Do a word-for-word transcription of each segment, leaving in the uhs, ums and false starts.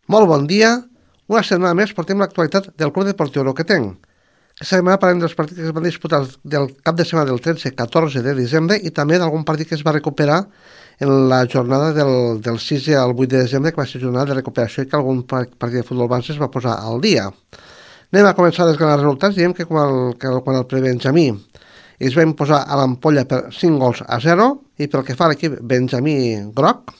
Molt bon dia. Una setmana més portem l'actualitat del Club Deportiu Roquetenc. Aquesta setmana parlem dels partits que es van disputar del cap de setmana del tretze catorze de desembre i també d'algun partit que es va recuperar en la jornada del, del sis al vuit de desembre, que va ser jornada de recuperació i que algun partit de futbol base es va posar al dia. Anem a començar a desgranar els resultats. Diem que quan el, que quan el prebenjamí es va imposar a l'Ampolla per cinc gols a zero i pel que fa a l'equip Benjamí Groc,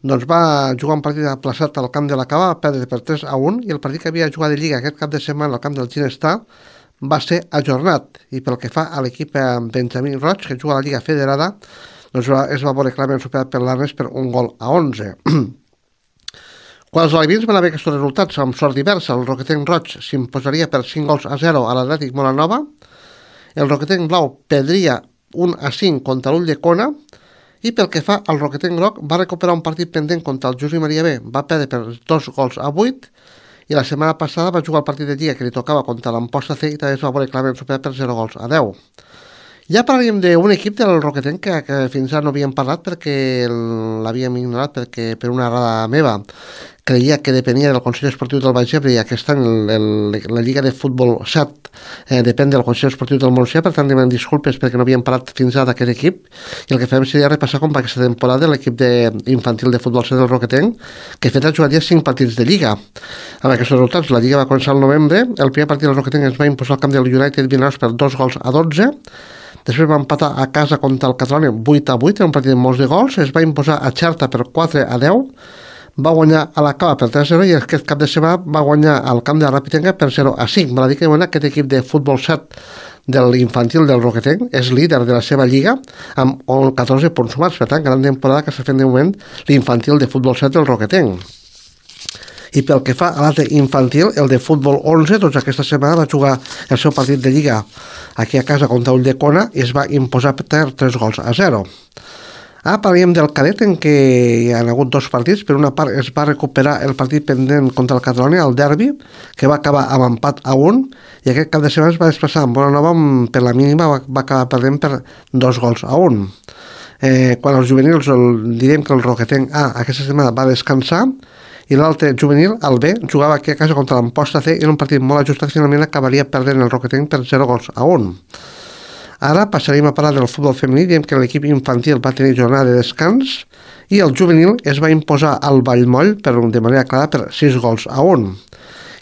doncs va jugar un partit aplaçat al camp de la Cava, va perdre per tres a un, i el partit que havia jugat de Lliga aquest cap de setmana al camp del Ginestar va ser ajornat. I pel que fa a l'equip Benjamí Roig, que juga a la Lliga Federada, doncs es va veure clarament superat per l'Arnes per un gol a onze. Quan els alevins van haver aquests resultats amb sort diversa, el Roquetenc Roig s'imposaria per cinc gols a zero a l'Atlètic Molanova, el Roquetenc Blau perdria un a cinc contra l'Ull de Cona, i pel que fa al Roquetenc Groc va recuperar un partit pendent contra el Josep Maria B, va perdre per dos gols a vuit, i la setmana passada va jugar el partit de Lliga que li tocava contra l'Amposta C i també es va veure clarament superat per zero gols a deu. Ja parlaríem d'un equip del Roquetenc que, que fins ara no havíem parlat perquè l'havíem ignorat, perquè per una errada meva creia que depenia del Consell Esportiu del Baix Ebre i aquest any el, el, la Lliga de Futbol set eh, depèn del Consell Esportiu del Montsià, per tant demanem disculpes perquè no havíem parlat fins ara d'aquest equip, i el que farem seria repassar com va aquesta temporada l'equip de, infantil de futbol set del Roquetenc, que fet ha jugat ja cinc partits de Lliga. Amb aquests resultats, la Lliga va començar al novembre, el primer partit del Roquetenc es va imposar al camp del United Vinaròs per dos gols a dotze, després va empatar a casa contra el Catalunya vuit a vuit, en un partit de molts de gols, es va imposar a Xerta per quatre a deu, va guanyar a la Cava per tres a zero i aquest cap de setmana va guanyar al camp de la Rapitenca per zero a cinc. Val a dir que bueno, aquest equip de futbol set de l'infantil del Roquetenc és líder de la seva lliga amb catorze punts sumats, per tant, gran temporada que està fent de moment l'infantil de futbol set del Roquetenc. I pel que fa a l'altre infantil, el de futbol onze, doncs aquesta setmana va jugar el seu partit de lliga aquí a casa contra Ull de Cona i es va imposar per tres gols a zero. Ara parlem del cadet, en què hi ha hagut dos partits. Per una part es va recuperar el partit pendent contra el Catalunya, el derbi, que va acabar amb empat a un, i aquest cap de setmana es va desplaçar amb Bonanova, per la mínima va, va acabar perdent per dos gols a un. Eh, quan els juvenils, el, direm que el Roquetenc A aquesta setmana va descansar, i l'altre juvenil, el B, jugava aquí a casa contra l'Amposta C, i en un partit molt ajustat finalment acabaria perdent el Roquetenc per zero gols a un. Ara passaríem a parlar del futbol femení. Diem que l'equip infantil va tenir jornada de descans i el juvenil es va imposar al Vallmoll per, de manera clara per sis gols a un.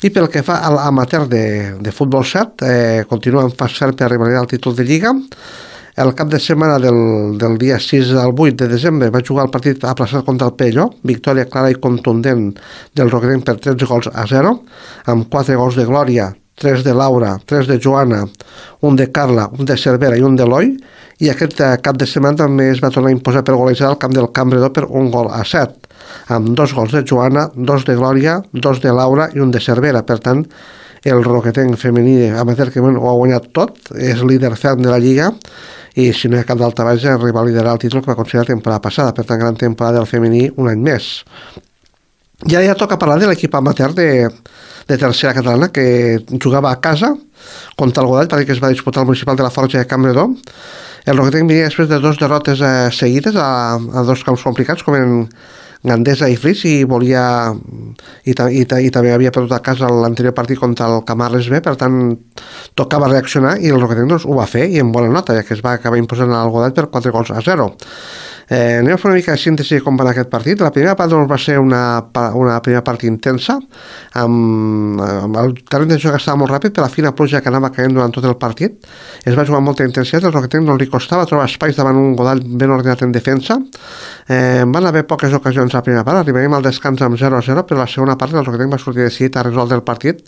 I pel que fa a l'amateur de, de futbol set, eh, continua en fas fer per arribar al títol de Lliga. El cap de setmana del, del dia sis al vuit de desembre va jugar el partit aplaçat contra el Pelló, victòria clara i contundent del Roquetenc per tretze gols a zero, amb quatre gols de Glòria, tres de Laura, tres de Joana, un de Carla, un de Cervera i un d'Eloi, i aquest cap de setmana també es va tornar a imposar per golejada al camp del Campredó per un gol a set, amb dos gols de Joana, dos de Glòria, dos de Laura i un de Cervera. Per tant, el Roquetenc femení amateur, que ho ha guanyat tot, és líder ferm de la Lliga, i si no hi ha cap d'alta baix arriba a liderar el títol que va aconseguir la temporada passada. Per tant, gran temporada del femení un any més. Ja ja toca parlar de l'equip amateur de, de tercera catalana, que jugava a casa contra el Godall, perquè es va disputar el municipal de la Forja de Campredó. El Roquetenc venia després de dos derrotes eh, seguides a, a dos camps complicats, com en Gandesa i Flix, i volia i, i, i també havia perdut a casa l'anterior partit contra el Camarles B, per tant tocava reaccionar, i el Roquetenc doncs, ho va fer, i amb bona nota, ja que es va acabar imposant al Godall per quatre gols a zero. Eh, anem a fer una mica de síntesi de com va anar aquest partit. La primera part doncs, va ser una, una primera part intensa, amb, amb el terreny de joc estava molt ràpid per la fina pluja que anava caient durant tot el partit. Es va jugar amb molta intensitat, el Roquetenc no li costava trobar espais davant un Godall ben ordenat en defensa. Eh, van haver poques ocasions a la primera part, arribarem al descans amb zero a zero, però la segona part el Roquetenc va sortir decidit a resoldre el partit,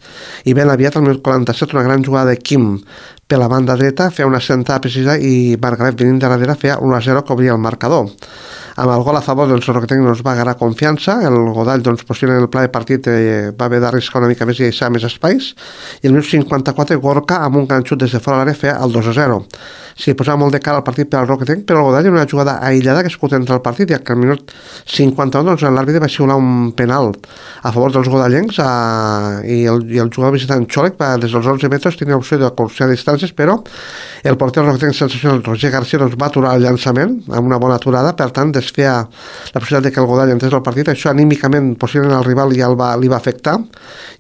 i ben aviat al minut quaranta-set una gran jugada de Quim per la banda dreta, feia una sentada precisa i Margaret venint de darrere feia un a zero que obria el marcador. Amb el gol a favor, doncs, el Roquetenc doncs, va agarrar confiança, el Godall, doncs, possiblement el pla de partit eh, va haver d'arriscar una mica més i deixar més espais, i el minut cinquanta-quatre Gorka, amb un ganxut des de fora de l'àrea, feia el dos a zero. s'hi posava molt de cara al partit per al Roquetenc, però el Godall era una jugada aïllada que es pot entrar al partit, ja que al minut cinquanta-un doncs, l'àrbitre va xiular un penal a favor dels godallencs a, i, el, i el jugador visitant Xòlec va, des dels onze metres tenia opció de curser a distàncies, però el porter Roquetenc sensacional Roger García doncs, va aturar el llançament amb una bona aturada, per tant desfeia la possibilitat de que el Godall entrés al partit. Això anímicament possiblement al rival ja el va, li va afectar,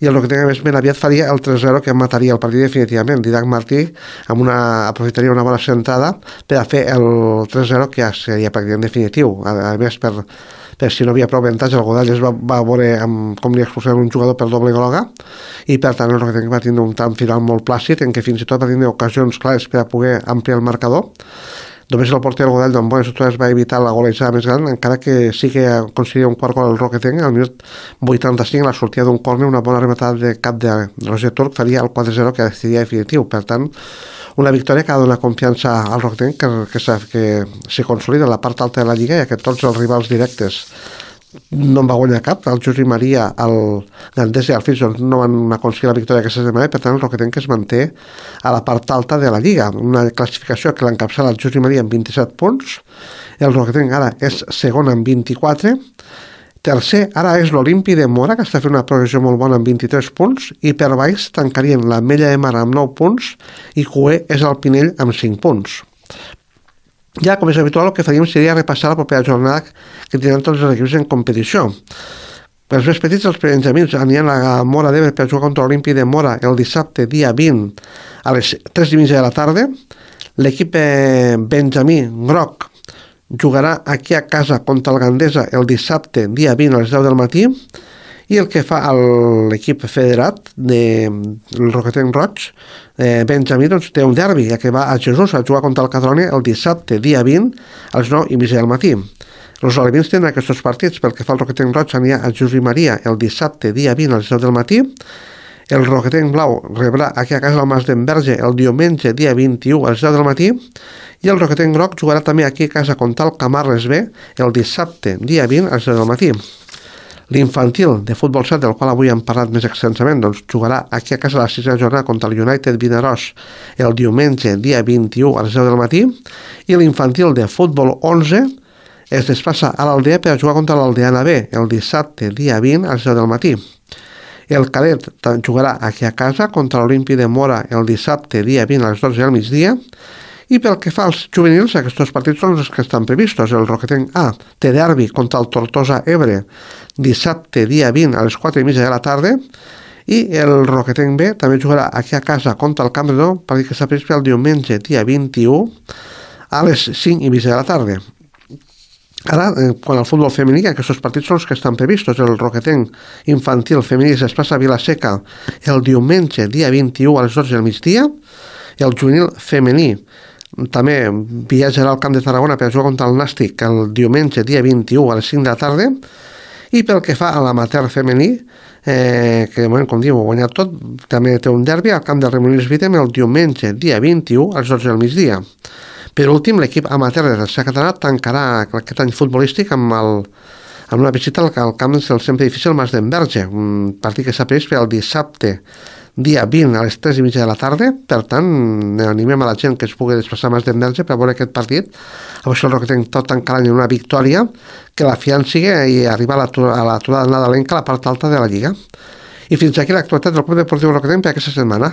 i el Roquetenc més ben aviat faria el tres zero que mataria el partit definitivament. Didac Martí amb una, aprofitaria una bona centrada per a fer el tres zero, que ja seria pràcticament definitiu. A, a més, per, per si no havia prou avantatge, el Godall es va, va veure amb, com li expulsaven un jugador per doble groga, i per tant el Roquetenc va tindre un tram final molt plàcid, en què fins i tot va tindre ocasions clares per a poder ampliar el marcador. Només el porter del Godall d'en bones estructures va evitar la golejada més gran, encara que sí que aconseguiria un quart gol al Roquetenc al minut vuitanta-cinc, la sortida d'un córner, una bona rematada de cap de Roger Turc faria el quatre zero que decidia definitiu. Per tant, una victòria que ha donat confiança al Roquetenc, que, que, que se consolida a la part alta de la Lliga, ja que tots els rivals directes no en va guanyar cap. El Josep Maria, el Gandesa i el Fills doncs, no van aconseguir la victòria aquesta setmana, i per tant el Roquetenc es manté a la part alta de la Lliga, una classificació que l'encapçala el Josep Maria amb vint-i-set punts, el Roquetenc ara és segon amb vint-i-quatre, tercer ara és l'Olimpi de Mora, que està fent una progressió molt bona amb vint-i-tres punts, i per baix tancarien l'Ametlla de Mar amb nou punts i cuer és el Pinell amb cinc punts. Ja, com és habitual, el que faríem seria repassar la propera jornada que tindran tots els equips en competició. Per als més petits, els benjamins aniran a Mora d'Ebre per jugar contra l'Olimpi de Mora el dissabte, dia vint, a les tres i mitja de la tarda. L'equip benjamí groc jugarà aquí a casa contra el Gandesa el dissabte, dia vint, a les deu del matí. I el que fa l'equip federat del Roquetenc Roig, eh, Benjamí, doncs, té un derbi, ja que va a Jesús a jugar contra el Catalonia el dissabte, dia vint, a les nou i mitja del matí. Els alevins tenen aquests partits. Pel que fa al Roquetenc Roig, anirà a Jesús i Maria el dissabte, dia vint, a les deu del matí. El Roquetenc Blau rebrà aquí a casa al Mas d'Enverge el diumenge, dia vint-i-u, a les deu del matí. I el Roquetenc Groc jugarà també aquí a casa contra el Camarles B el dissabte, dia vint, a les deu del matí. L'infantil de futbol set, del qual avui hem parlat més extensament, doncs jugarà aquí a casa la sisena jornada contra el United Vinaròs el diumenge, dia vint-i-u, a les deu del matí, i l'infantil de futbol onze es desplaça a l'Aldea per a jugar contra l'Aldeana B el dissabte, dia vint, a les deu del matí. El cadet jugarà aquí a casa contra l'Olimpi de Mora el dissabte, dia vint, a les dotze del migdia. I pel que fa als juvenils, aquests partits són els que estan previstos. El Roquetenc A té derbi contra el Tortosa Ebre dissabte, dia vint, a les quatre i mitja de la tarda, i el Roquetenc B també jugarà aquí a casa contra el Camp de Nou, partit que està previst el diumenge, dia vint-i-u, a les cinc i mitja de la tarda. Ara, quan al futbol femení, aquests partits són els que estan previstos. El Roquetenc infantil femení es desplaça a Vilaseca el diumenge, dia vint-i-u, a les dotze del migdia. El juvenil femení també viatjarà al Camp de Tarragona per jugar contra el Nàstic el diumenge, dia vint-i-u, a les cinc de la tarda. I pel que fa a l'amateur femení, eh, que de moment, com diu, ho ha guanyat tot, també té un derbi al Camp del Remolins Vitem el diumenge, dia vint-i-u, a les dotze del migdia. Per últim, l'equip amateur de tercera catalana tancarà aquest any futbolístic amb, el, amb una visita al, al camp del sempre difícil Mas d'Enverge, un partit que s'ha previst per el dissabte, dia vint, a les tres i mitja de la tarda. Per tant, animem a la gent que es pugui desplaçar a Mas d'Enverge per veure aquest partit. A veure si el Roquetenc tot tancar l'any en una victòria que la fianci i arribar a l'aturada nadalenca a la part alta de la Lliga. I fins aquí l'actualitat del Club Deportiu Roquetenc per aquesta setmana.